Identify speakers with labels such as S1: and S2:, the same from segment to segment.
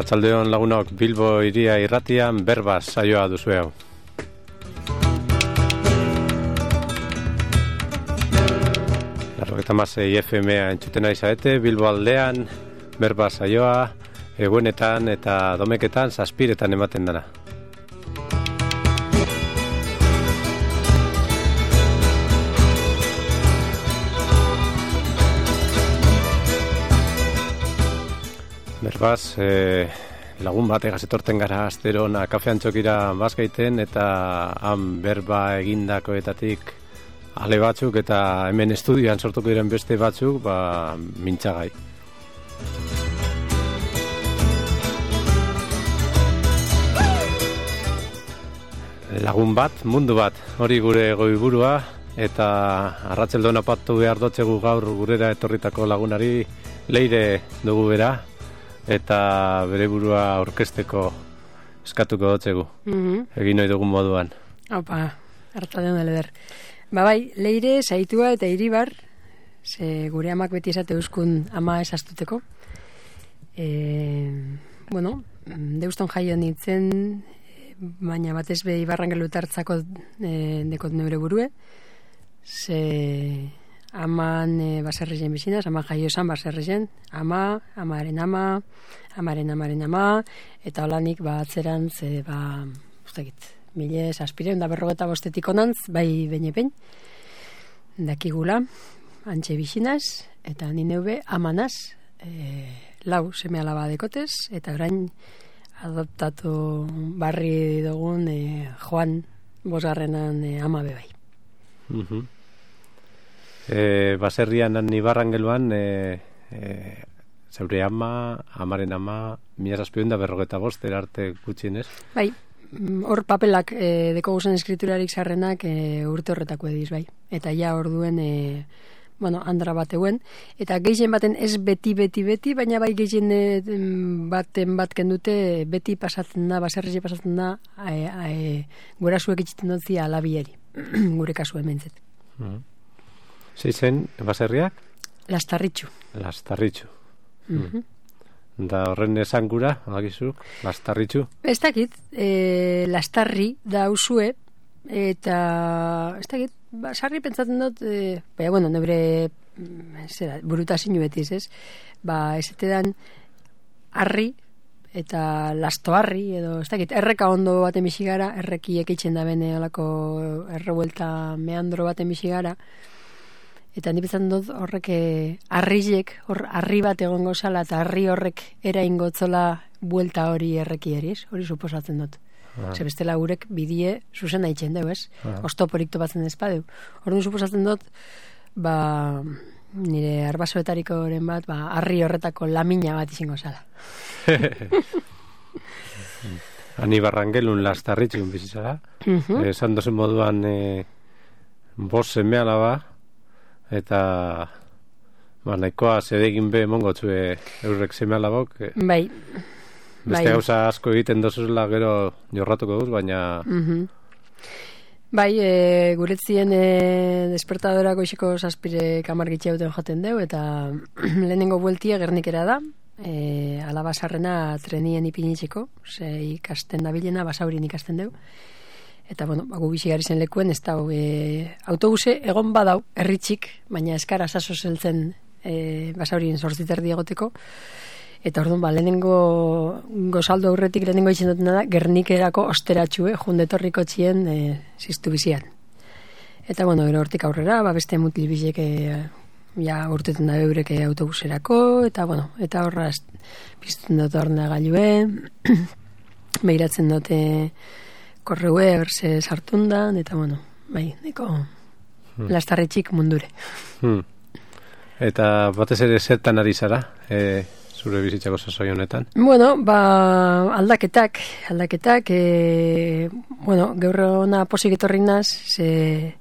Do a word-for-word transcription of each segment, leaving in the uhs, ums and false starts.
S1: Arratsaldeon lagunok, Bilbo hiria irratian berbaz saioa duzu hau. Larrogeita hamasei F M-a entzuten ari zarete, Bilbo aldean berbaz saioa, egunetan eta domeketan zazpiretan ematen dana. Berbaz, eh, lagun bategaz etorten gara asterona kafean txokira bazkaiten eta han berba egindakoetatik ale batzuk eta hemen estudioan sortuko diren beste batzuk, ba, mintzagai. Lagun bat, mundu bat, hori gure goiburua, eta arratsaldeon apatu behar dotzegu gaur gurera etorritako lagunari Leire dugu bera, eta bere burua aurkezteko eskatuko dotzegu. Mm-hmm. Egin nahi dugun moduan.
S2: Opa, arratsaldeon Leder. Ba bai, Leire, Saitua eta Iribar, ze gure amak beti esate euskun ama esastuteko. E, bueno, deuston jaio nintzen, baina batez be Ibarrangelu tartzako e, dekot neure burue, ze aman e, baserrezen bizinaz, ama jaio esan baserrezen, ama, amaren ama, amaren amaren ama, eta holanik ba atzerantz, e, ba, ustakit, mile zazpireun da berrogeta bostetik onantz, bai beine-bein, dakigula, antxe bizinaz, eta nineube amanaz, e, lau seme alaba dekotez, eta orain adoptatu barri dugun e, Joan bosgarrenan e, ama bebai.
S1: Mhm. E, baserrian han Ibarrangeluan e, e, zeure ama, amaren ama, mila zazpireun da berrogeta bost erarte gutxienez.
S2: Bai, hor papelak e, deko guzen eskriturarik zarrenak e, urte horretako ediz, bai. Eta ja hor duen, e, bueno, andra bateuen, eta gehien baten ez beti, beti, beti, baina bai gehien e, baten bat kendute beti pasatzen da, baserri pasatzen da, e, e, gura zuek itxiten dutzi alabieri, gure kasu hementzet.
S1: Mm. Zeizen, baserriak?
S2: Lastarritxu.
S1: Lastarritxu.
S2: Mm-hmm.
S1: Da horren esan gura, alakizu, Lastarritxu?
S2: Ez dakit, e, Lastarri da usue, eta ez dakit, ba, sarri pentsatzen dut, e, baina, bueno, nebre zera, burutazinu betiz, ez? Ba, ez etedan arri, eta lastoarri, edo, ez dakit, erreka ondo baten bisigara, errekiek itxen da bene olako errebuelta meandro baten bisigara, eta nipetan dut horrek arrizek, hor arri bat egongo zala, eta arri horrek eraingo tzola buelta hori erreki eriz, hori suposatzen dut. Ah. Ze bestela gurek bidie zuzen haitzen deu, ez? Ah. Ostoporik topatzen ezpadeu. Hori suposatzen dut, ba, nire arbasoetariko oren bat, ba, arri horretako lamina bat izango zala.
S1: Ani Barrangelun Lastarritxun bizizara. Uh-huh. Esan dozen moduan e, bos seme alaba, eta ba, nahikoa zedegin be mongotzue eurrek seme alabok.
S2: Bai.
S1: Beste
S2: bai.
S1: Gauza asko egiten dozuzela gero jorratuko duz, baina...
S2: Uh-huh. Bai, e, guretzien e, despertadora goizeko zazpire kamargitxe hauten joten deu, eta lehenengo bueltia Gernikera da, e, alaba sarrena trenien ipinitzeko, ze ikasten dabilena, basaurin ikasten deu. Eta, bueno, gu bisigari zen lekuen, ez da, e, autobuse egon badau, erritxik, baina eskara saso zeltzen e, basaurien sortziterdi egoteko. Eta orduan, ba, lehenengo gozaldo aurretik lehenengo itzen dutena da, Gernikerako osteratxue, jundetorriko txien e, ziztu bizian. Eta, bueno, gero hortik aurrera, ba, beste mutil bizek e, ja urteten da eureke autobuserako, eta, bueno, eta horra biztuten dut horna gailue, behiratzen dute korreue, berze sartundan, eta, bueno, bai, neko hmm. Lastarritxik mundure.
S1: Hmm. Eta batez ere zertan ari zara, e, zure bizitzako sasoi honetan?
S2: Bueno, ba, aldaketak, aldaketak, e, bueno, gaur ona posik etorri naz, ze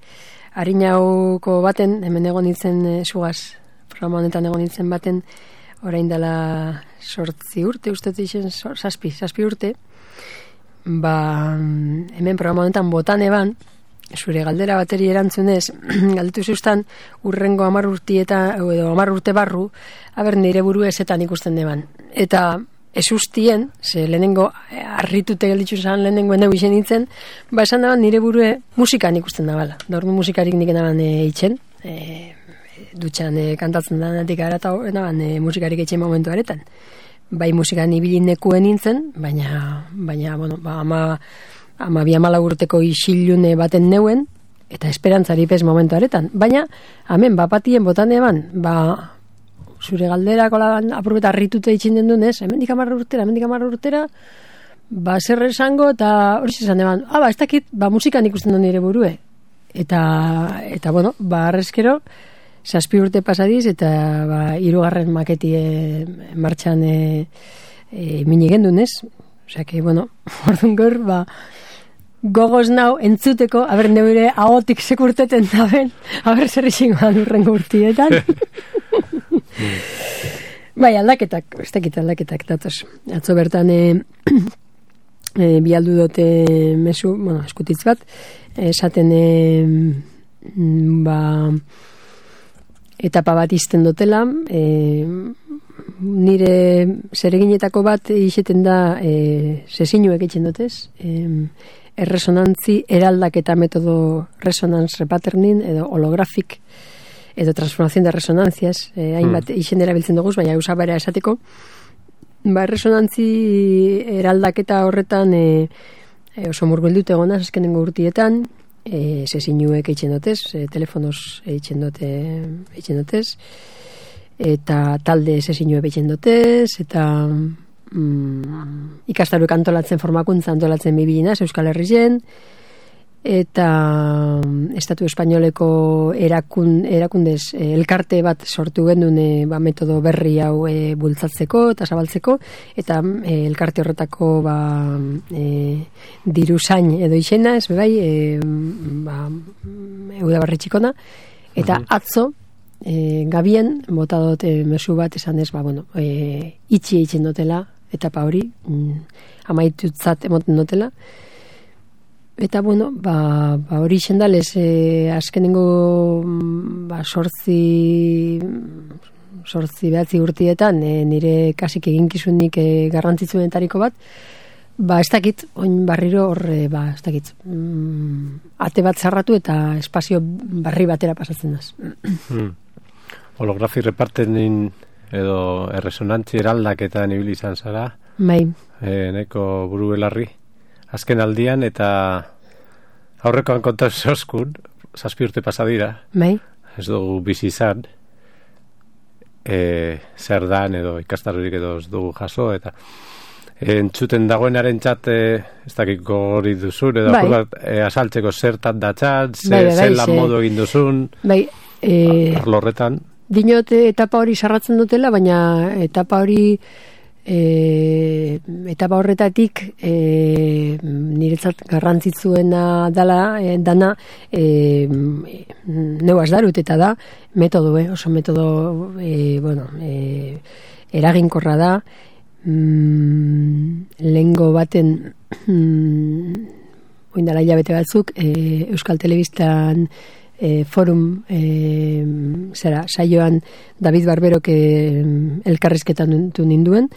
S2: harinauko baten, hemen egon nintzen e, sugaz, programa honetan egon nintzen baten, orain dela sortzi urte, uste dixen, zazpi, zazpi urte, ba, hemen programa honetan botan eban, zure galdera bateri erantzunez, galdetu zeustan urrengo hamar urti eta edo hamar urte barru, aber nire buru ezetan ikusten deban. Eta esustien, ze lehenengo harritute gelditzu zan lehenengo ene bixen nintzen, ba esan daban nire burue musikan ikusten dabala. Da ordu musikarik nik enaban e, itxen, e, dutxan e, kantatzen da natik gara eta enaban e, musikarik itxen momentu aretan. Bai musikan ibili nekuen nintzen, baina, baina bueno, ba, ama, ama bi amala urteko isilune baten neuen, eta esperantzari pez momentu aretan. Baina, hemen, bapatien botan eban, ba, zure galderako apurbeta harritute itxin den dunez, hemendik amarra urtera, hemendik amarra urtera, ba, zer esango, eta hori zizan eban, ah, ba, ez dakit, ba, musikan ikusten duen nire burue. Eta, eta, bueno, ba, arrezkero, zazpi urte pasadiz, eta, ba, hirugarren maketi e, martxan e, e, minigen dunez. Osea, que, bueno, orduan gaur, ba, gogoz nau entzuteko, haber neure ahotik sekurteten daben, haber zer izingoan urrengo urtietan. Bai, aldaketak, ez dakit aldaketak datoz. Atzo bertan e, e, bialdu dute mesu, bueno, eskutitz bat, esaten e, ba, etapa bat izten dutela, e, nire zereginetako bat izeten da e, sesinuek etxen dutez, e, erresonantzi eraldaketa metodo resonance repatterning edo holografik edo transformación de resonancias, eh, hainbat mm. izen erabiltzen dugu, baina usabera esateko. Ba, resonantzi eraldaketa horretan e, e, oso murgildute egonaz azkenengo urtietan, e, sesinuek eitzen dotez, e, telefonos eitzen dote, eitzen dotez, eta talde sesinuek eitzen dotez, eta mm, ikastaruek antolatzen formakuntza antolatzen bibilinaz, Euskal Herrien, eta Estatu Espainoleko erakun, erakundez e, elkarte bat sortu gendun e, ba, metodo berri hau e, bultzatzeko eta zabaltzeko, eta e, elkarte horretako ba, e, diru zain edo izena, ez bebai, e, ba, Eudabarri txikona, eta atzo e, gabien bota dut e, mesu bat esan ez, ba, bueno, e, itxi eitzen dutela, etapa hori, mm, amaitutzat emoten dutela. Eta, bueno, ba, ba hori xendalez, e, azkenengo ba, sortzi, sortzi behatzi urtietan, e, nire kasik eginkizunik e, garrantzitsuenetariko bat, ba, ez dakit, oin barriro hor, e, ba, ez dakit, mm, ate bat zarratu eta espazio barri batera pasatzen daz.
S1: Hmm. Holografi repartenin edo erresonantzi eraldaketan ibili izan zara,
S2: bai.
S1: E, neko buru belarri. Azken aldian, eta aurrekoan konta zoskun, zazpi urte pasadira,
S2: bai.
S1: Ez dugu bizi izan, e, zer dan edo ikastarurik edo ez dugu jaso, eta e, entzuten dagoenaren txat, e, ez dakiko hori duzun, edo bai. Bat, e, asaltzeko zertan datxat, ze, bai, bai, zelan modu egin duzun,
S2: bai, e,
S1: arlorretan.
S2: Dinot etapa hori sarratzen dutela, baina etapa hori E, etapa horretatik e, niretzat garrantzitsuena dala, e, dana e, neuaz darut eta da metodo, eh? Oso metodo e, bueno, e, eraginkorra da, mm, lehengo baten mm, oindala hilabete batzuk e, Euskal Telebistan E, forum e, zera, saioan David Barberok e, elkarrizketan du ninduen,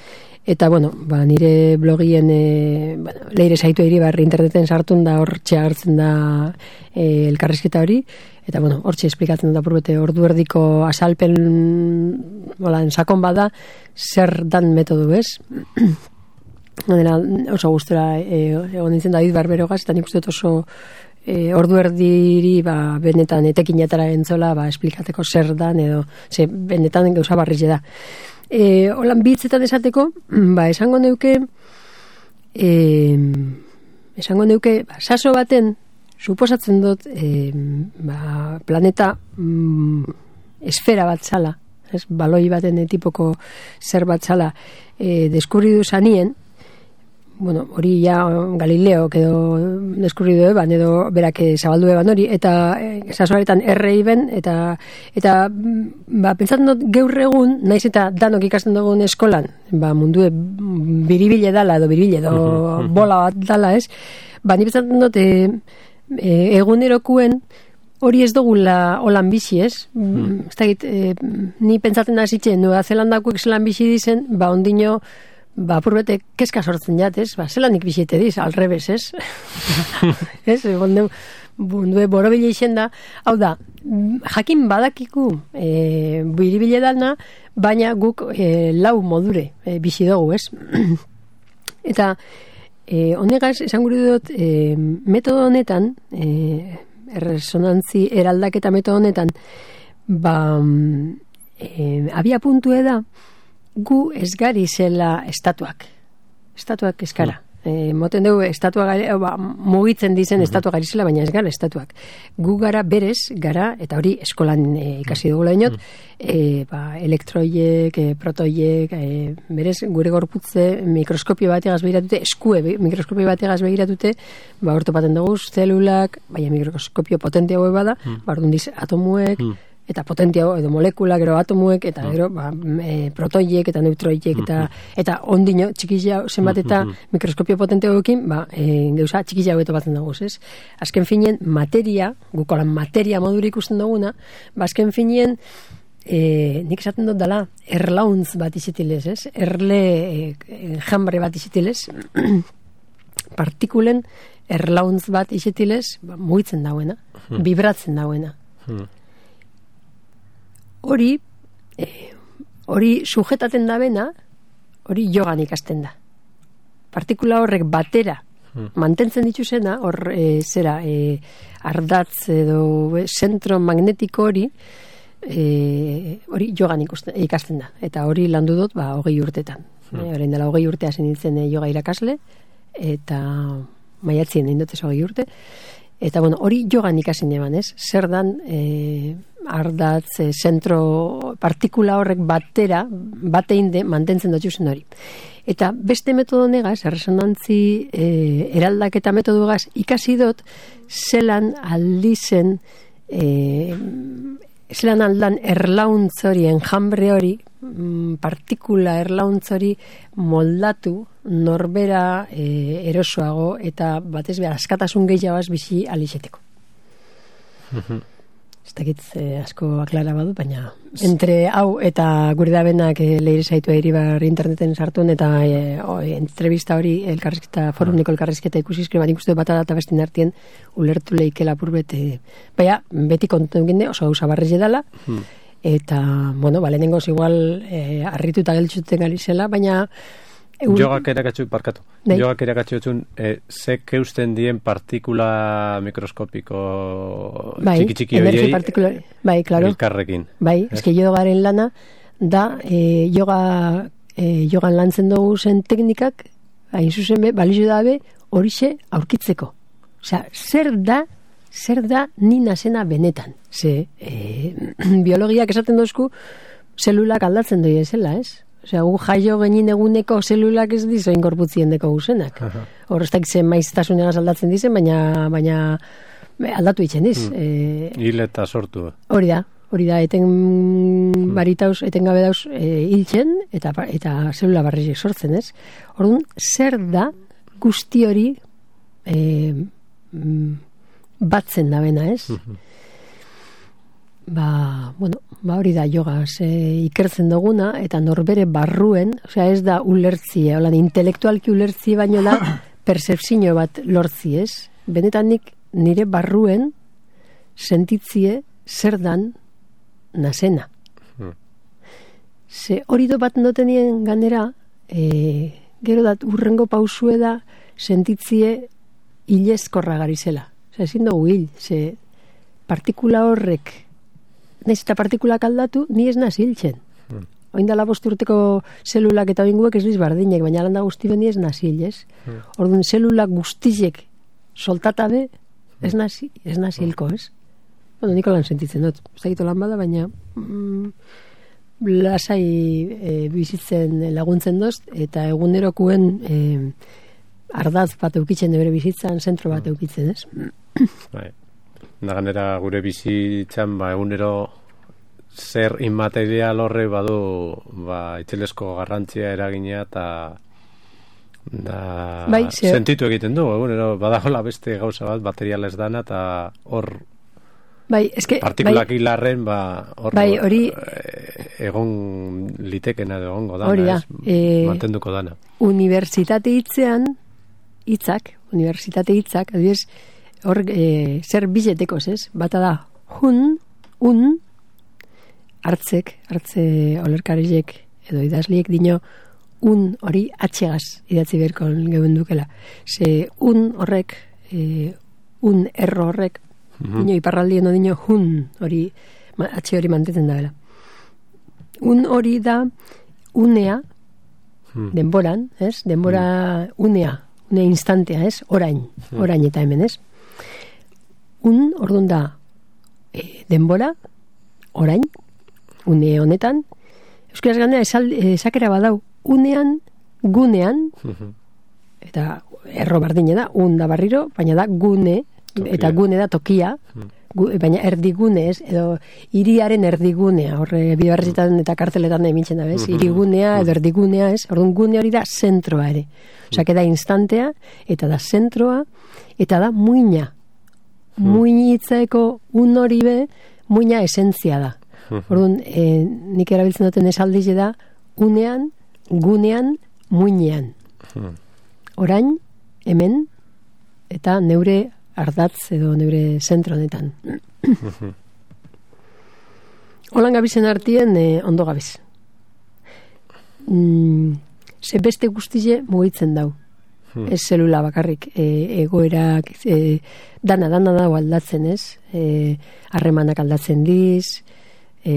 S2: eta bueno, ba, nire blogien e, bueno, leire saitu eri barri interneten sartun da hortxe hartzen da e, elkarrizketa hori, eta bueno, hortxe esplikatzen da purbete ordu erdiko asalpen bola, sakon bada zer dan metodu, ez? Dena, oso gustora e, egon nintzen David Barberogaz, eta nik uste dut oso E, ordu erdiri ba, benetan etekinetara entzola ba, esplikateko zer dan edo ze, benetan gauza barriz da. E, holan bitzetan esateko, ba, esango neuke e, esango neuke ba, saso baten suposatzen dut e, ba, planeta mm, esfera bat zala, ez, baloi baten tipoko zer bat zala e, deskurridu zanien. Bueno, hori ja Galileo edo deskurridu eban edo berak zabaldu eban hori, eta e, sasoaretan errei ben, eta eta ba, pentsatzen dut gaur egun, naiz eta danok ikasten dugun eskolan, ba, mundue biribile dala edo biribile edo bola bat dala, ez? Ba, ni pentsatzen dut e, e, egunerokuen hori ez dugula holan bizi, ez? Mm. Ez dakit, e, ni pentsatzen da zitzen, Nueva Zelandakoek zelan bizi dizen, ba, ondino ba, purbete, keska sortzen jat, ez? Ba, zelanik bisite diz, alrebes, ez? Ez, bonde, bonde, borobile izen da, hau da, jakin badakiku e, biribile dana, baina guk e, lau modure e, bizi dugu, ez? Eta e, honegaz, esan gure dut, e, metodo honetan, e, erresonantzi eraldaketa metodo honetan, ba, e, abia puntue da, gu ez gari zela estatuak. Estatuak ez gara. E, moten dugu, estatua gari, ba, mugitzen dizen mm-hmm. estatua gari zela, baina ez gara estatuak. Gu gara berez, gara, eta hori eskolan e, ikasi dugula inot, mm-hmm. e, ba, elektroiek, e, protoiek, e, berez, gure gorputze mikroskopio bategaz begiratute, eskue mikroskopio bategaz begiratute, ba, ortopaten dugu, zelulak, baina mikroskopio potente hau bada, mm-hmm. ba, orduan diz, atomuek, mm-hmm. eta potentiago, edo molekula, gero atomuek, eta gero ba, e, protoiek, eta neutroiek, eta, eta ondino, txikizia zenbat eta mikroskopio potenteagoekin, ba, e, geuza, txikizia hobeto batzen dagoz, ez? Azken finien, materia, gukolan materia modura ikusten duguna, ba, azken finien, e, nik esaten dut dela, erlauntz bat izitilez, ez? Erle e, jambre bat izitilez, partikulen erlauntz bat izitilez, ba, mugitzen dagoena, vibratzen dagoena. Hori, eh, hori sujetaten da bena, hori jogan ikasten da. Partikula horrek batera hmm. mantentzen dituzena, hor e, zera, e, ardatz edo e, zentro magnetiko hori, e, hori jogan ikusten, ikasten da. Eta hori landu dut, ba, hogei urtetan. Hmm. E, orain dela hogei urtea zen nintzen e, joga irakasle, eta maiatzien egin dut ez hogei urte. Eta, bueno, hori jogan ikasin eban, ez? Zer dan, e, ardatz, e, zentro, partikula horrek batera, batein de, mantentzen dut zen hori. Eta beste metodo negaz, erresonantzi e, eraldaketa metodugaz, ikasi dut, zelan aldizen, e, zelan aldan erlauntz hori, enjambre hori, partikula erlauntz hori moldatu, norbera e, erosoago eta batez behar askatasun gehiagaz bizi alixeteko. Ez dakit e, asko aklara badu, baina entre hau eta gure da benak e, leire zaitu eribar interneten sartuen eta e, o, e, entrevista hori elkarrizketa, forumniko elkarrizketa ikusizkri bat ikustu bat eta bestin artien ulertu leikela purbet e, baina beti kontu egin oso gauza barrez edala eta, bueno, bale nengoz igual e, arrituta geltzuten gali zela, baina
S1: Un... Jogak erakatzu, parkatu. Dei. Jogak erakatzu etzun, e, zek eusten dien partikula mikroskopiko
S2: bai,
S1: txiki-txiki horiei
S2: bai, claro.
S1: Elkarrekin.
S2: Bai, es? Eske jogaren lana da e, yoga, e, jogan lantzen dugu zen teknikak, hain zuzen be, balizu dabe, horixe aurkitzeko. Osea, zer da, zer da ni nazena benetan. Ze, e, biologiak esaten dozku, zelulak aldatzen doi ezela, ez? Osea, gu jaio genin eguneko zelulak ez dizo inkorputzien deko guzenak. Hor, ez dakit zen maiztasunegaz aldatzen dizen, baina, baina aldatu itzen diz.
S1: Hmm. E, Hil eta sortu.
S2: Hori da, hori da, eten hmm. baritauz, eten gabe dauz e, hiltzen, eta, eta zelula barrizik sortzen, ez? Orduan, zer da guzti hori e, batzen da bena, ez? Hmm. Ba, bueno, ba hori da yoga, ze ikertzen duguna eta norbere barruen, osea ez da ulertzie, holan intelektualki ulertzie baino da percepzio bat lortzi, ez? Benetan nik nire barruen sentitzie zer dan nazena. Hmm. Ze hori do bat notenien ganera, e, gero dat urrengo pausue da sentitzie hilezkorra garizela. Osea, ezin dugu hil, ze partikula horrek naiz eta partikulak aldatu, ni ez naz hiltzen. Hmm. Oindala bosturteko zelulak eta oinguek ez diz bardinek, baina landa guzti ben ni ez naz hil, ez? Hmm. Orduan, zelulak guztizek soltatabe, ez naz, ez naz hilko, ez? Bueno, niko lan sentitzen dut. Ez dakito lan bada, baina mm, lasai e, bizitzen laguntzen doz, eta egunerokuen e, ardaz bat eukitzen bere bizitzan, zentro bat eukitzen, ez?
S1: Bai. Naganera gure bizitzan ba, egunero zer inmaterial horre badu ba, itxelesko garrantzia eragina eta da,
S2: bai,
S1: sentitu egiten du egunero badagoela beste gauza bat material ez dana eta hor
S2: bai, eske,
S1: partikulak bai, hilarren ba, hor
S2: bai, hori,
S1: e, egon litekena egongo dana,
S2: hori da,
S1: ez?
S2: E,
S1: Mantenduko dana.
S2: Unibertsitate hitzean, hitzak, unibertsitate hitzak, adibidez, hor e, zer biletekoz, ez? Bata da, hun, un, hartzek, hartze olerkarilek edo idazliek dino, un hori atxegaz idatzi berko geuen dukela. Ze un horrek, e, un erro horrek, mm-hmm. dino iparraldien dino hun hori, atxe hori mantetzen da bela. Un hori da unea, hmm. denboran, ez? Denbora hmm. unea, une instantea, ez? Orain, hmm. orain eta hemen, ez? Un, orduan da, e, denbora, orain, une honetan, euskaraz gandea esakera badau, unean, gunean, hmm. eta erro bardine da, un da barriro, baina da gune, tokia. Eta gune da tokia, hmm. Gu, baina erdigune ez, edo hiriaren erdigunea, horre bibarretan eta karteletan emintzen da, bez? Hirigunea edo erdigunea ez, orduan gune hori da zentroa ere. Osea, da instantea, eta da zentroa, eta da muina. Muinitzaeko un hori be, muina esentzia da. Orduan, e, nik erabiltzen duten esaldize da, unean, gunean, muinean. Orain, hemen, eta neure ardatz edo neure zentro honetan. Holan gabizen artien eh, ondo gabiz. Mm, ze beste guztize mugitzen dau. Hmm. Ez zelula bakarrik. E, egoerak, e, dana, dana dago aldatzen, ez? E, harremanak aldatzen diz, e,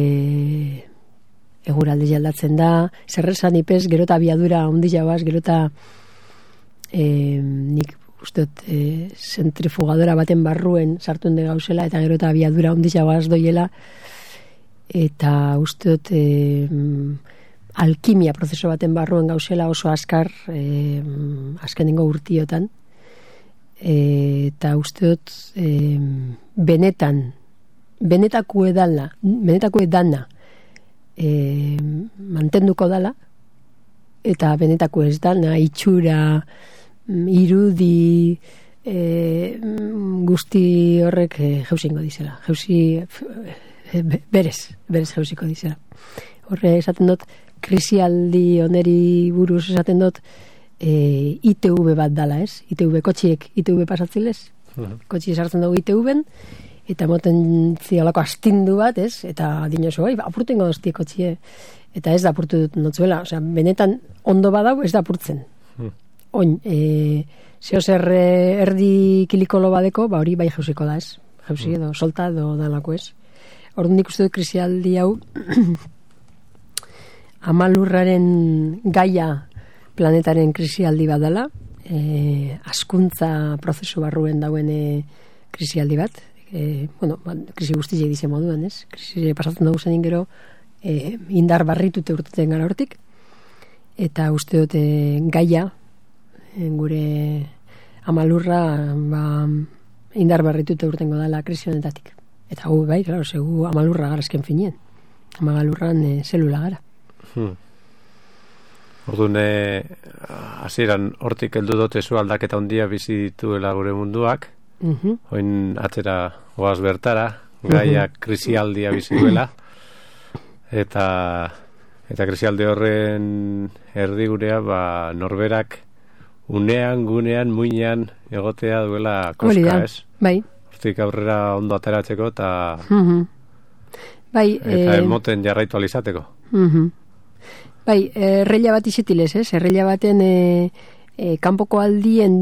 S2: eguraldi aldatzen da, zerrezan ipez, gerota abiadura ondi jauaz, gerota e, nik usteot, e, zentrifugadora baten barruen sartu ende gauzela, eta gero eta abiadura ondizagoaz doiela, eta usteot e, alkimia prozeso baten barruen gauzela oso askar e, azkenengo urtiotan, e, eta usteot e, benetan benetako edala benetako edana e, mantenduko dala, eta benetako ez dana itxura irudi e, guzti horrek e, jauzingo dizela. Jauzi e, berez, berez jauziko dizela. Horre esaten dut, krisialdi oneri buruz esaten dut, e, I T V bat dala, ez? I T V kotxiek, I T V pasatzilez. Uh-huh. Kotxi esartzen dugu I T V-en, eta moten zialako astindu bat, ez? Eta dinoso, oi, apurtengo doztie kotxie. Eta ez da apurtu dut notzuela. Osea, benetan ondo badau, ez da apurtzen. Uh-huh. Oin, e, zeo zer erdi kilikolo badeko, ba hori bai jauziko da, ez? Jauzi edo, solta edo dalako, ez? Orduan nik uste dut krisialdi hau amalurraren gaia planetaren krisialdi bat dela, e, askuntza prozesu barruen dauen e, krisialdi bat, e, bueno, krisi guztiak dize moduen, ez? Krisi pasatzen dugu zenin gero e, indar barritute urteten gara hortik, eta uste dut e, gaia gure amalurra ba, indar barritute urtengo dela krisi honetatik. Eta gu, bai, claro, segu amalurra gara esken finien. Amalurran e, zelula gara.
S1: Hmm. Orduan, hasieran hortik heldu dute zu aldaketa handia bizi dituela gure munduak, uh-huh. Oin atzera goaz bertara, gaia uh-huh. krisialdia bizi duela, eta, eta krisialdi horren erdigurea, ba, norberak unean, gunean, muinean egotea duela koska, ez?
S2: Bai.
S1: Hortik aurrera ondo ateratzeko eta
S2: uh-huh. bai,
S1: eta eh, emoten jarraitu alizateko.
S2: Uh-huh. Bai, erreila bat izetilez, ez? Erreila baten e, e, kanpoko aldien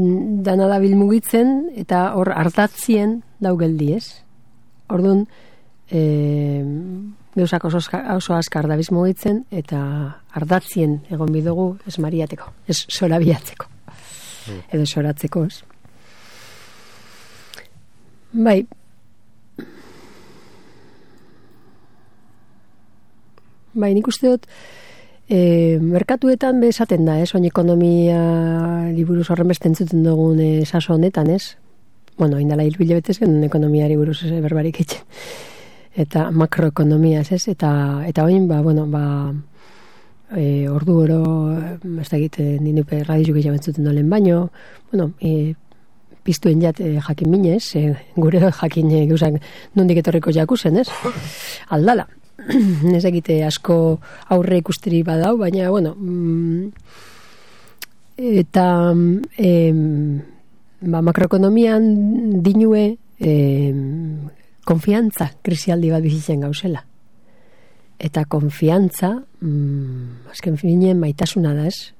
S2: dana da bilmugitzen eta hor hartatzien daugeldi, ez? Orduan, e, gauzak oso, oso askar da bizmugitzen eta hartatzien egon bidugu ez mariateko, ez sorabiatzeko. Edo soratzeko, ez? Bai. Bai, nik uste dut e, merkatuetan bezaten da, ez? Oin ekonomia liburuz horren beste entzuten dugun e, saso honetan, ez? Bueno, indala hilbile betez gen ekonomiari buruz ez, berbarik etxen. Eta makroekonomia, ez? Eta, eta oin, ba, bueno, ba... E, ordu oro ez da egiten ninupe radizuk egin bentzuten dolen baino, bueno, e, piztuen jat e, jakin minez, e, gure jakin e, geusak nondik etorriko jakusen, ez? Aldala. ez egite asko aurre ikusteri badau, baina, bueno, mm, eta em, ba, makroekonomian dinue em, konfiantza krisialdi bat bizitzen gauzela. Eta konfiantza, mm, azken finean maitasuna da, ez?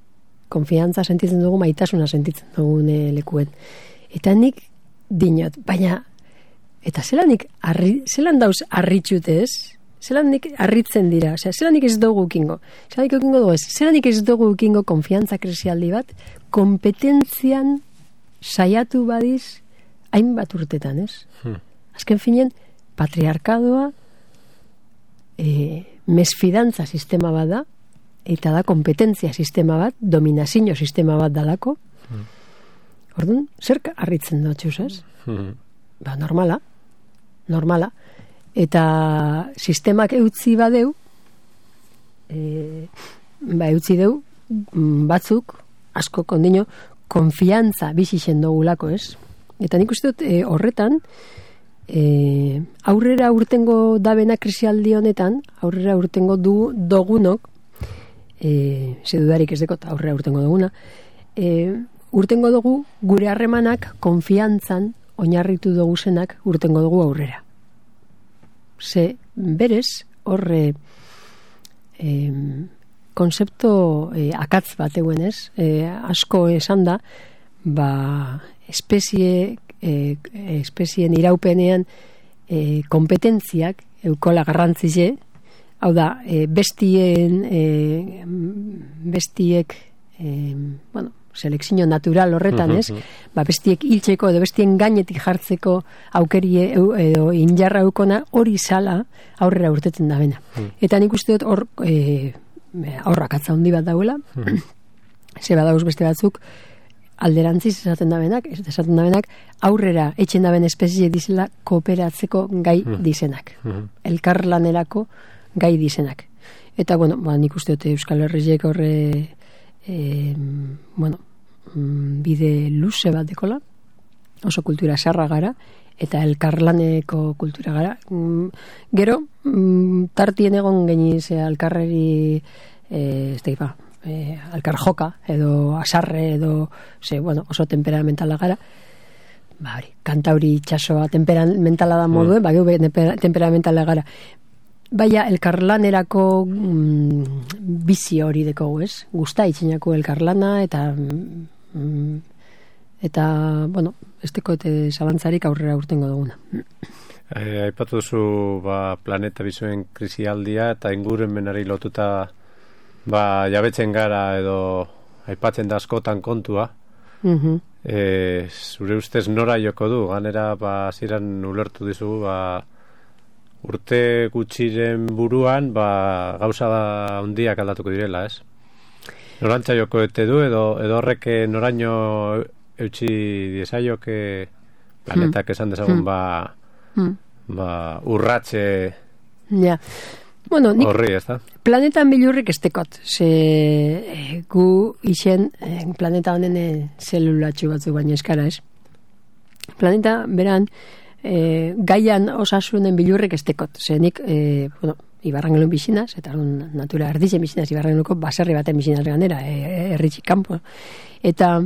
S2: Konfiantza sentitzen dugu, maitasuna sentitzen dugu lekuen. Eta nik dinot, baina, eta zelanik, arri, zelan dauz arritxute, ez? Zelanik arritzen dira, osea, zelanik ez dugu ukingo. Zelanik ukingo dugu ez, zelanik ez dugu ukingo konfiantza krisialdi bat, kompetentzian saiatu badiz, hainbat urtetan, ez? Hmm. Azken finean, patriarkadoa, E, mesfidantza sistema bat da, eta da kompetentzia sistema bat, dominazio sistema bat dalako. Mm. Orduan, zerk harritzen dut, txuzaz? Mm. Ba, normala. Normala. Eta sistemak eutzi badeu, e, ba, eutzi deu, batzuk, asko kondino, konfiantza bizixen dugulako, ez? Eta nik uste dut, e, horretan, E, aurrera urtengo dabena krisialdi honetan, aurrera urtengo du dogunok, e, zedudarik ez dekot aurrera urtengo duguna, e, urtengo dugu gure harremanak konfiantzan oinarritu dugu zenak urtengo dugu aurrera. Ze berez horre e, konzepto e, akatz bat eguen ez, e, asko esan da, ba, espezie E, espezien iraupenean e, kompetentziak eukola garrantzize, hau da, e, bestien e, bestiek e, bueno, selekzio natural horretan, ez? Uh-huh. Ba, bestiek hiltzeko edo bestien gainetik jartzeko aukerie edo injarra eukona hori sala aurrera urtetzen da bena. Uh-huh. Eta nik uste dut hor e, aurrak atza handi bat dauela, uh-huh. Ze badauz beste batzuk alderantziz esaten da benak, esaten da benak, aurrera etxen da ben espezie dizela kooperatzeko gai dizenak. Mm-hmm. Elkarlanerako gai dizenak. Eta, bueno, ba, nik uste dute Euskal Herriek horre e, bueno, bide luze bat dekola, oso kultura sarra gara, eta elkarlaneko kultura gara. Gero, tartien egon geniz elkarreri e, ez da ipa, Eh, alkar joka, edo asarre, edo ze, bueno, oso temperamentala gara, ba, hori, kantauri itxasoa temperamentala da moduen, mm. ba, geu temperamentala gara. Baina, elkarlanerako mm, bizi hori dekogu, ez? Gusta itxinako elkarlana, eta mm, eta, bueno, ez dekote zalantzarik aurrera urtengo duguna.
S1: Eh, aipatu duzu, ba, planeta bizuen krisialdia, eta ingurumenari lotuta ba, jabetzen gara edo aipatzen da askotan kontua. Uh-huh. E, zure ustez nora joko du? Ganera, ba, ziren ulertu dizugu, ba, urte gutxiren buruan, ba, gauza handiak aldatuko direla, ez? Norantza joko ete du, edo, edo horrek noraino eutxi diesaioke planetak esan dezagun, ba, ba, urratxe...
S2: Ja. Bueno, nik
S1: horri, ez da?
S2: Planetan bilurrik estekot. Ze e, gu isen e, planeta honen e, zelulatxu batzuk baina eskara, ez? Planeta beran e, gaian osasunen bilurrik estekot. Ze nik, e, bueno, Ibarrangelun bizinaz, eta natura ardizen bizinaz, Ibarrangeluko baserri baten bizinaz ganera, e, erritxik kanpo. Eta,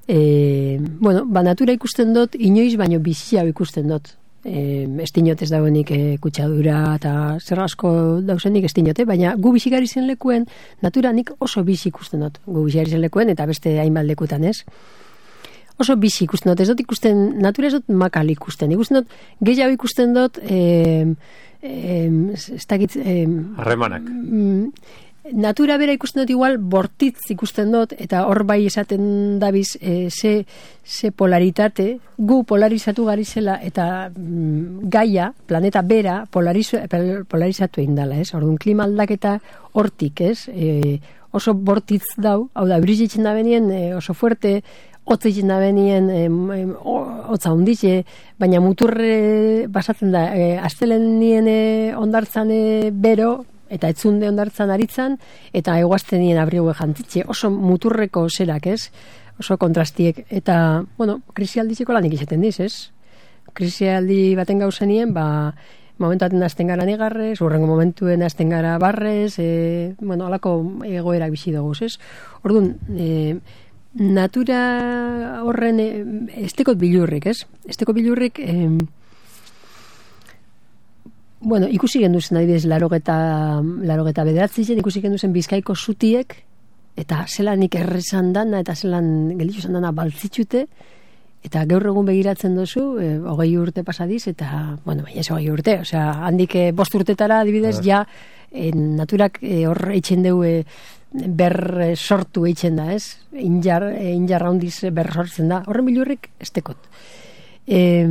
S2: e, bueno, ba, natura ikusten dut, inoiz baino bizia ikusten dut. E, estinot ez dagoenik e, kutsadura eta zer asko dauzenik estinote, baina gu bizigari zen lekuen, natura nik oso bizi ikusten dut, gu bizigari zen lekuen, eta beste hainbat lekutan, ez? Oso bizi ikusten dut, ez dut ikusten, natura ez dut makal ikusten, ikusten dut, gehiago ikusten dut, e, e, ez dakit... E,
S1: harremanak.
S2: Mm, natura bera ikusten dut igual bortitz ikusten dut, eta hor bai esaten dabiz e, ze, ze polaritate, gu polarizatu gari zela, eta mm, gaia, planeta bera, polarizu, polarizatu egin dela, ez? Orduan, klima aldaketa hortik, ez? E, oso bortitz dau, hau da, brizitzen da benien, e, oso fuerte, hotzitzen da benien, e, hotza hunditze, baina muturre basatzen da, e, astelenien e, ondartzan e, bero, eta etzunde ondartzan aritzan, eta eguazten nien abrigue jantzitxe, oso muturreko zerak, ez? Oso kontrastiek, eta, bueno, krisialdizeko lanik izaten diz, ez? Krisialdi baten gauzenien, ba, momentuaten azten gara negarrez, urrengo momentuen azten gara barrez, e, bueno, alako egoera bizi dugu, ez? Orduan, e, natura horren e, estekot bilurrik, ez? Estekot bilurrik, e, bueno, ikusi genduzen adibidez larogeta, larogeta bederatzi zen, ikusi genduzen Bizkaiko zutiek, eta zelanik errezan dana, eta zelan gelitxuzan dana baltzitxute, eta gaur egun begiratzen dozu, e, hogei urte pasadiz, eta, bueno, baina ez hogei urte, osea, handik e, bost urtetara adibidez, ja, e, naturak e, hor eitzen deu e, ber e, sortu eitzen da, ez? Injar, e, injar handiz ber sortzen da. Horren bilurrik estekot. E,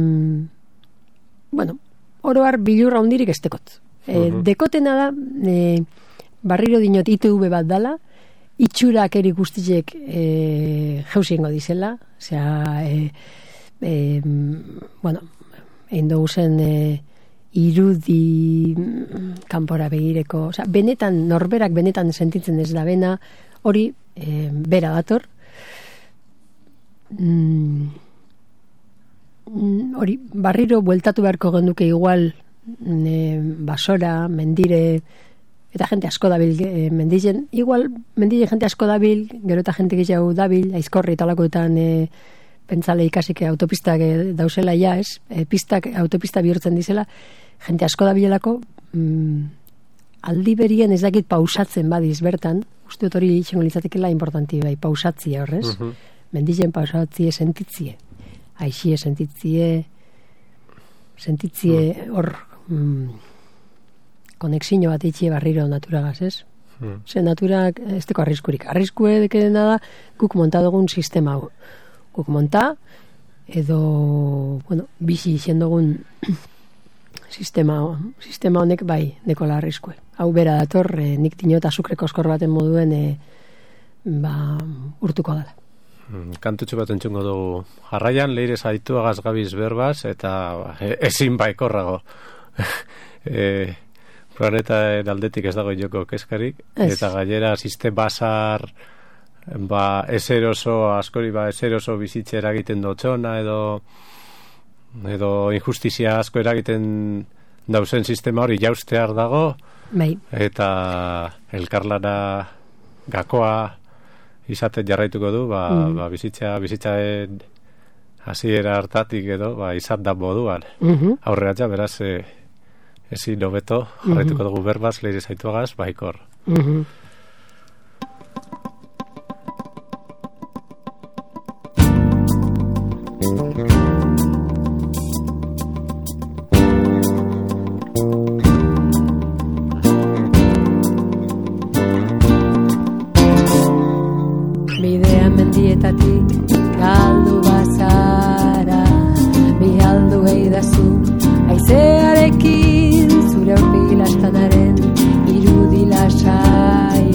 S2: bueno, oroar bilurra handirik estekot. E, uh-huh. Dekotena da, e, barriro dinot I T V bat dala, itxurak eri guztiek e, jauziengo dizela, osea, e, e, bueno, egin dugu zen e, irudi kanpora begireko, osea, benetan, norberak benetan sentitzen ez da bena, hori e, bera dator, mm, hori, barriro bueltatu beharko genduke igual e, basora, mendire, eta jente asko dabil e, mendizen, igual mendizen jente asko dabil, gero eta jente gehiago dabil, aizkorri talakoetan e, pentsale ikasik autopistak e, dauzela ja, ez? E, pistak autopista bihurtzen dizela, jente asko dabilelako, mm, aldi berien ez dakit pausatzen badiz bertan, uste dut hori itxengo litzatekela importanti bai, pausatzia horrez, uh-huh. Mendizen pausatzie sentitzie, aixie sentitzie, sentitzie hor... Mm, konexio bat itxie barriro naturagaz, ez? Hmm. Ze naturak ez teko arriskurik. Arriskue dekedena da, guk monta dugun sistema hau. Guk monta, edo, bueno, bizi izan dugun sistema, sistema honek bai, dekola arriskue. Hau bera dator, e, nik dinot azukreko oskor baten moduen e, ba, urtuko dela.
S1: Hmm, kantutxo bat entzungo dugu. Jarraian, leire zaitu agaz gabiz berbaz, eta e, ezin baikorrago. e, Planeta aldetik ez dago joko keskarik, es. Eta gainera sistema basar ba, eseroso, askori ba, eseroso bizitze eragiten dotxona, edo edo injustizia asko eragiten dauzen sistema hori jaustear dago,
S2: bai.
S1: Eta elkarlana gakoa izaten jarraituko du, ba, mm. ba, bizitza, bizitzaen hasiera hartatik edo, ba, izan da moduan. Mm-hmm. Aurreatza, beraz, e, ezin hobeto, jarraituko dugu berbaz, leire zaituagaz, baikor. Uh-huh.
S2: Bidea mendietatik galdu bazara, bihaldu eidazu, aizearekin, zure aurpegi lastanaren irudi lasai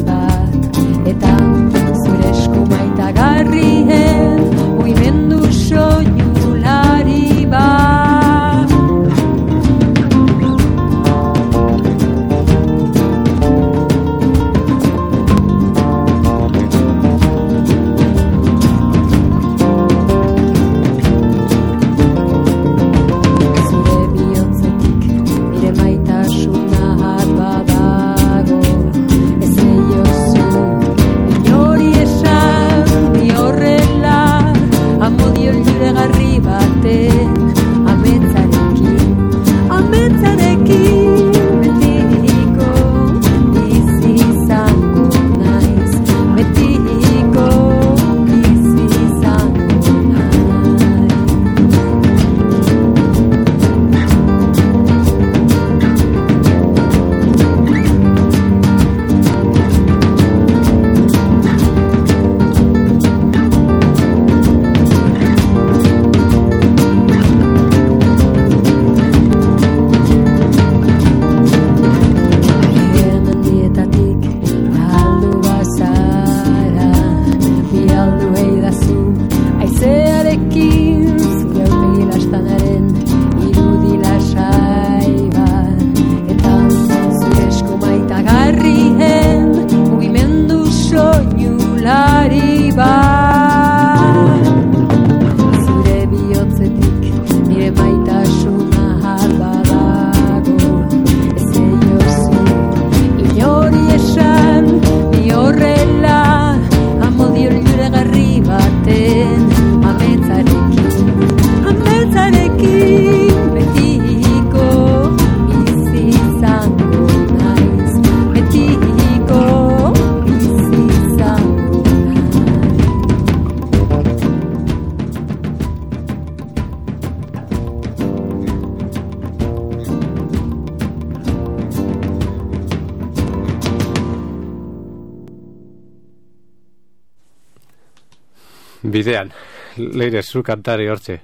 S1: Bidean, leire zu kantari hortxe.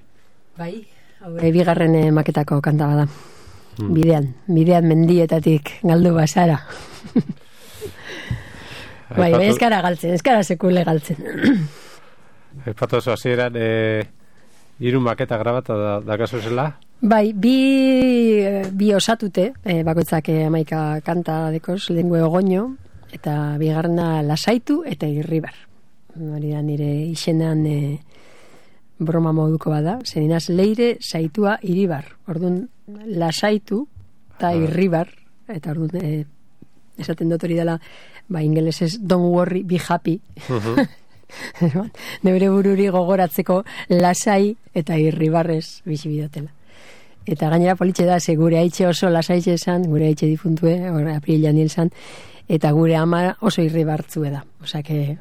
S2: Bai, hau bigarren eh, maketako kanta bada. Hmm. Bidean, bidean mendietatik galdu basara. Bai, bai, ez gara galtzen, ez gara sekule galtzen.
S1: Epatu oso hasieran, e, hiru maketa grabata da, dakazu zela?
S2: Bai, bi, bi osatute, e, bakoitzak hamaika kanta dekoz, lengua ogoño, eta bigarrena lasaitu eta irribar. Hori da nire izenan e, broma moduko bada, zeninaz leire saitua iribar. Orduan lasaitu eta irribar, eta orduan e, esaten dut hori dela, ba ingelesez don't worry, be happy. Uh-huh. Neure bururi gogoratzeko lasai eta irribarrez bizi bidotela. Eta gainera politxe da, ze gure haitxe oso lasaitxe esan, gure haitxe difuntue, aprilian hil zan, eta gure ama oso irribartzue da. Osa que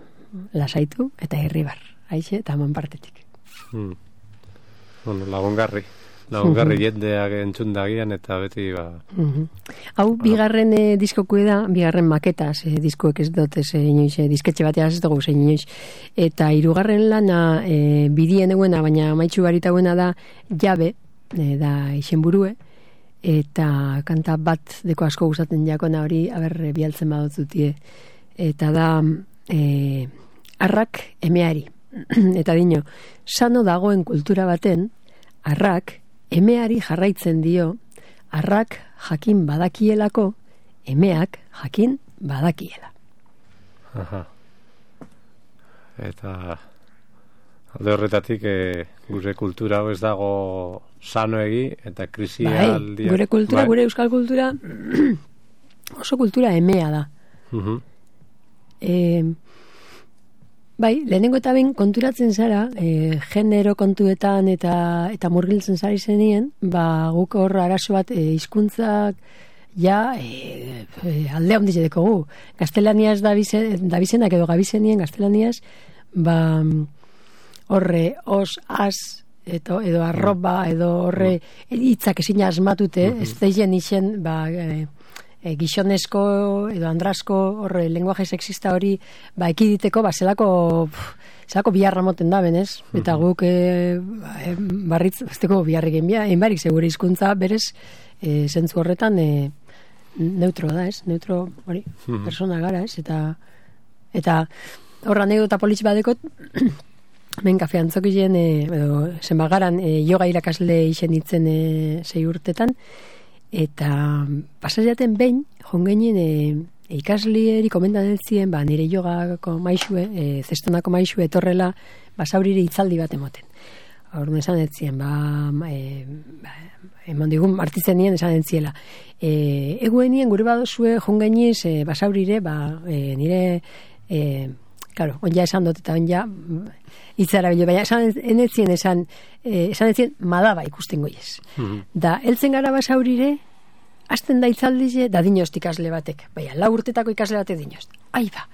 S2: lasaitu eta irribar, haitxe eta aman partetik.
S1: Hmm. Bueno, lagungarri. Lagungarri jendeak entzundagian eta beti ba...
S2: Uh-huh. Hau, bigarren eh, diskokue da, bigarren maketaz, eh, diskoek ez dut ez inoiz, eh, disketxe bateaz ez dugu zein inoiz. Eta hirugarren lana eh, bidien eguena, baina maitxu barita eguena da jabe, E, da izen burue, eta kanta bat deko asko gustatzen jakona hori, aber bialtzen badotzutie, eta da e, arrak emeari. Eta dino, sano dagoen kultura baten, arrak emeari jarraitzen dio, arrak jakin badakielako, emeak jakin badakiela.
S1: Aha. Eta alde horretatik e, gure kultura hau ez dago sanoegi eta krisia
S2: bai,
S1: aldia.
S2: Gure kultura, bai. Gure euskal kultura oso kultura emea da.
S1: Uh-huh.
S2: E, bai, lehenengo eta ben konturatzen zara, e, genero kontuetan eta eta murgiltzen zari zenien, ba guk hor arazo bat e, hizkuntzak ja e, e, aldea ondiz dekogu. Gaztelaniaz dabizenak edo gabizenien gaztelaniaz, ba horre os, as, eto, edo arroba, edo horre hitzak ezin asmatute, ez deien izen, ba, e, e, gixonesko edo andrasko horre lenguaje sexista hori ba, ekiditeko, ba, zelako, zelako biharra moten da, benez? Eta guk e, e, barritz, azteko biharrik enbia, enbarik segure hizkuntza berez, e, zentzu horretan e, neutro da, ez? Neutro, hori, persona gara, ez? Eta, eta horra anekdota politx badekot, ben kafe antzokien, e, edo zenbagaran e, yoga irakasle izen itzen e, sei urtetan, eta pasajaten behin, jongenien e, ikaslieri komentan eltzien, ba, nire yogako maixue, e, zestonako maixue etorrela, basaurire itzaldi bat emoten. Horren esan eltzien, ba, e, ba eman digun martitzen nien esan entziela. E, eguenien gure badozue jongainiz e, basaurire, ba, e, nire, e, claro, onja esan dut eta onja itzara bilo, baina esan enetzien esan, e, esan enetzien madaba ikusten goiez. Mm-hmm. Da, eltzen gara basaurire, hasten da itzaldize, da dinost ikasle batek. Baina, lau urtetako ikasle batek dinost. Ai ba,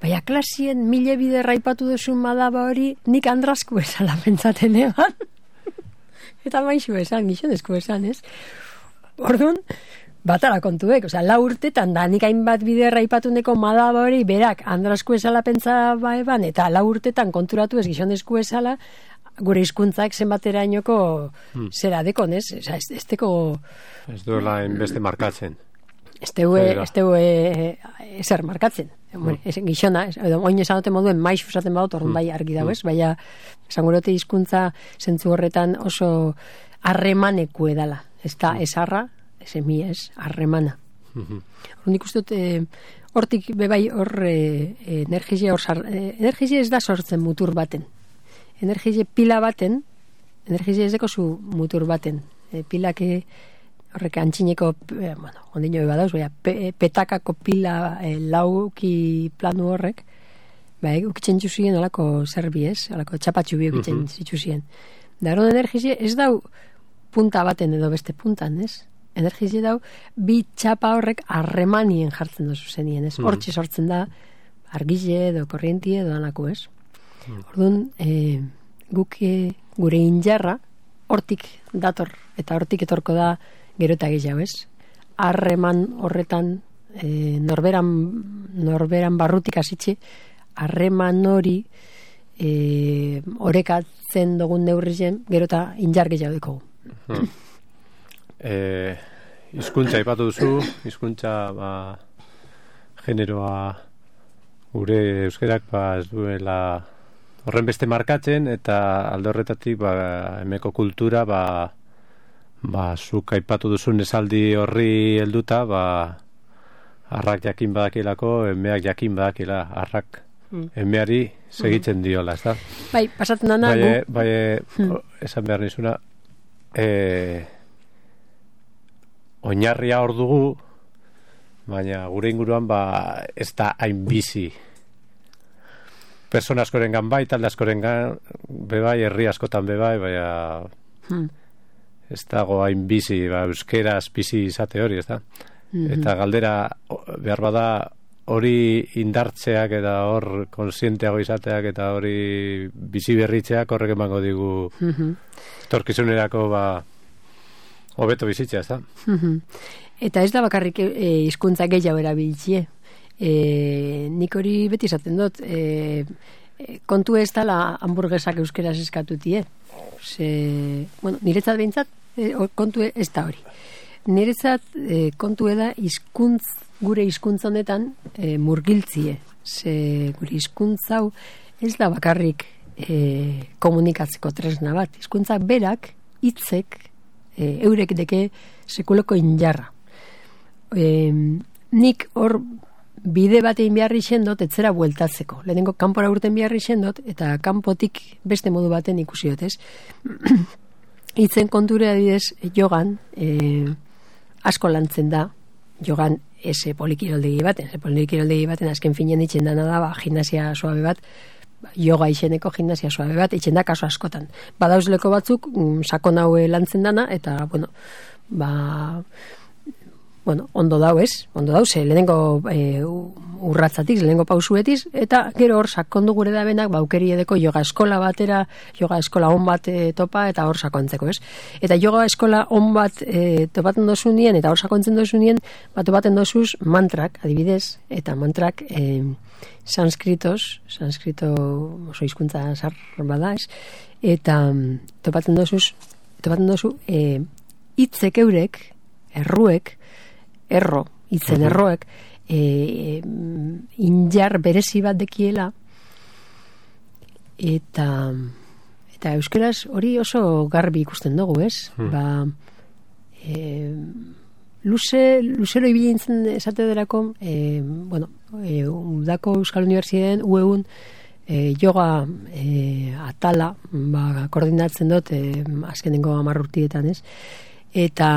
S2: baina klasien mile bide raipatu duzun madaba hori, nik andrasku esala pentsaten eban. Eta maixu esan, gixonezko esan, ez? Orduan, batara kontuek, oza, lau urtetan da, nik hainbat bide raipatuneko madaba hori, berak, andrasku esala pentsa baeban, eta lau urtetan konturatu ez gixonezko esala, gure hizkuntzak zenbaterainoko hmm. zera dekon, ez? Oza, ez, ez teko...
S1: Ez duela inbeste markatzen.
S2: Ez teue, ez teue ezer markatzen. Hmm. Ez, gixona, edo oin esanote moduen maixu esaten badut, orduan bai argi dago, ez? Baina, esan gurote hizkuntza zentzu horretan oso harremaneku edala. Ez da, esarra, ez emi ez, harremana. Mm-hmm. Horren ikustut, e, hortik bebai hor e, energia hor sar, e, energia ez da sortzen mutur baten. Energia pila baten, energia ez deko zu mutur baten. E, pilak e, horrek antxineko, e, bueno, ondino eba dauz, baina pe, petakako pila e, lauki planu horrek, bai, ukitzen txuzien olako zerbi ez, olako txapatxu bi ukitzen mm-hmm. txuzien. Da, horren energia ez dau punta baten edo beste puntan, ez? Energia dau, bi txapa horrek harremanien jartzen dozu zenien, ez? Mm. Hortxe sortzen da, argile edo korrientie edo anako, ez? Mm. Orduan, e, guk e, gure injarra, hortik dator, eta hortik etorko da gero eta gehiago, ez? Harreman horretan, e, norberan, norberan barrutik hasitxe, harreman hori e, orekatzen dugun neurrizen, gero eta indar gehiago dugu.
S1: Hmm. E, hizkuntza ipatu duzu, hizkuntza ba, generoa gure euskerak ba, ez duela horren beste markatzen, eta alde horretatik ba, emeko kultura ba, ba, zuk aipatu duzun esaldi horri helduta ba, arrak jakin badakilako, emeak jakin badakila, arrak mm. emeari segitzen diola, ez da?
S2: Bai, pasatzen dana
S1: bai,
S2: gu.
S1: Bai, mm. esan behar nizuna, e, oinarria hor dugu, baina gure inguruan ba, ez da hain bizi. Persona askorengan bai, talde askorengan bebai, herri askotan bebai, baina hmm. ez dago hain bizi, ba, euskeraz bizi izate hori, ez da? Mm-hmm. Eta galdera behar bada hori indartzeak eta hor konsienteago izateak eta hori bizi berritzeak horrek emango digu mm-hmm. torkizunerako ba hobeto bizitzea, ez da?
S2: Mm-hmm. Eta ez da bakarrik hizkuntza e, gehiago erabiltzie. E, nik hori beti izaten dut, e, kontu ez dala hamburguesak euskeraz eskatutie. Ze, bueno, niretzat behintzat, e, kontu ez da hori. Niretzat e, kontu eda hizkuntz, gure hizkuntza honetan e, murgiltzie. Ze gure hizkuntza hau ez da bakarrik e, komunikatzeko tresna bat. Hizkuntza berak, hitzek, e, eurek deke sekuloko injarra. E, nik hor bide batein beharri xendot, etzera bueltatzeko. Lehenengo kanpora urten beharri xendot, eta kanpotik beste modu baten ikusi dut, ez? Hitzen konture adidez, jogan, e, asko lantzen da, jogan ese polikiraldegi baten, ese polikiraldegi baten azken finean itxen dana da, ba, gimnasia suabe bat, yoga izeneko gimnasia suabe bat, itxen da kaso askotan. Badauzleko batzuk, mm, sakon haue lantzen dana, eta, bueno, ba, bueno, ondo dau ez, ondo dau, ze lehenengo e, urratzatik, lehenengo pausuetiz, eta gero hor sakondu gure da benak, baukeri edeko yoga eskola batera, yoga eskola on bat e, topa, eta hor sakontzeko, ez? Eta yoga eskola on bat e, topaten dozu nien, eta hor sakontzen dozu nien, bat topaten dozuz mantrak, adibidez, eta mantrak e, sanskritos, sanskrito oso hizkuntza zar bada, ez? Eta topaten dozuz, topaten dozu, e, hitzek eurek, erruek, erro, hitzen uh-huh. erroek, e, injar berezi bat dekiela, eta eta euskeraz hori oso garbi ikusten dugu, ez? Uh-huh. Ba, e, luze, luzero ibilintzen esate derako, e, bueno, e, udako Euskal Unibertsitatean ueun e, yoga e, atala, ba, koordinatzen dut, e, azkenengo hamar urtietan, ez? Eta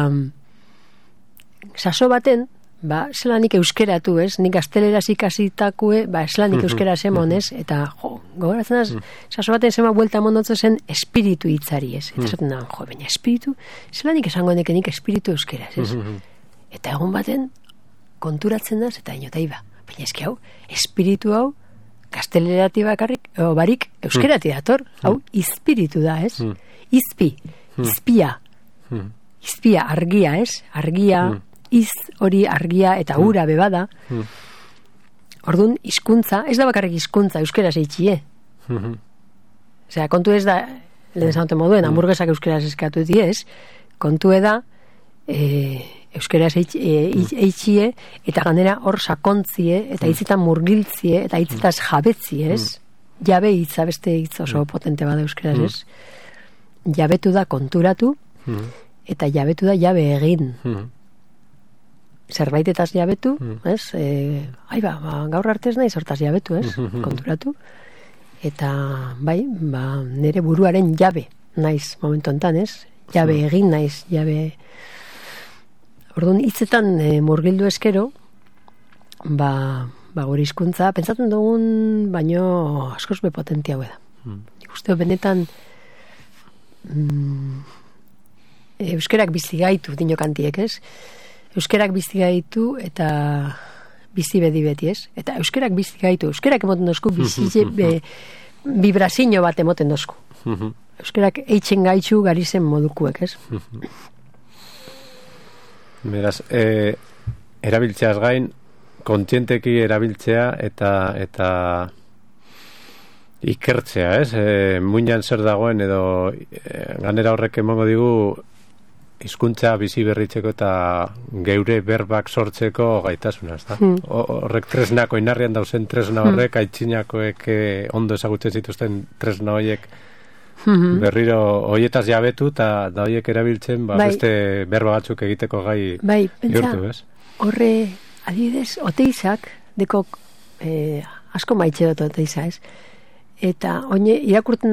S2: saso baten, ba, zelanik euskeratu, ez? Nik gazteleraz ikasitakue, ba, zelanik euskera zemon, ez? Eta, jo, gogoratzen az, saso baten zema buelta mondotzen zen espiritu hitzari, ez? Eta zaten da, jo, baina espiritu, zelanik esango neke nik espiritu euskeraz, ez? Eta egun baten, konturatzen da, eta inotai ba, baina eski hau, espiritu hau, gaztelerati bakarrik, o, barik, euskerati dator, hau, izpiritu da, ez? Izpi, izpia, izpia, argia, ez? Argia, iz hori argia eta ura bebada. Mm. Orduan, hizkuntza, ez da bakarrik hizkuntza euskeraz eitxie. Mm-hmm. Osea, kontu ez da, lehen zaunte moduen, mm. hamburguesak euskeraz eskatu diez, kontu eda, e, euskeraz eitxie, eta ganera hor sakontzie, eta hitzetan murgiltzie, eta hitzetaz jabetzie, ez? Mm. Jabe hitza, beste hitz oso potente bada euskeraz, ez? Mm. Jabetu da konturatu, mm. eta jabetu da jabe egin. Mm. Zerbaitetaz jabetu, mm. ez? E, ai ba, ba, gaur artez nahi sortaz jabetu, ez? Konturatu. Eta, bai, ba, nire buruaren jabe naiz momentu enten, ez? Jabe mm. egin naiz, jabe... Orduan, hitzetan e, murgildu eskero, ba, ba, gure hizkuntza, pentsatzen dugun, baino askoz bepotentia da. Mm. Usteo, benetan, mm, euskerak bizi gaitu, dinokantiek, ez? Euskerak bizi gaitu eta bizi bedi beti, ez? Eta euskerak bizi gaitu, euskerak emoten dozku bizi be, vibrazio bat emoten dozku. Euskerak eitzen gaitzu garizen modukuek, ez?
S1: Beraz, e, erabiltzeaz gain, kontzienteki erabiltzea eta eta ikertzea, ez? E, muinan zer dagoen edo e, ganera horrek emango digu hizkuntza bizi berritzeko eta geure berbak sortzeko gaitasuna, ezta? Hmm. Horrek tresnako inarrian dauzen tresna horrek hmm. aitzinakoek eh, ondo ezagutzen zituzten tresna horiek hmm. berriro hoietaz jabetu eta da horiek erabiltzen ba, bai. Beste berba batzuk egiteko gai
S2: bai,
S1: bihurtu, ez?
S2: Horre, adibidez, oteizak dekok eh, asko maitxe dut oteiza, ez? Eta oine irakurten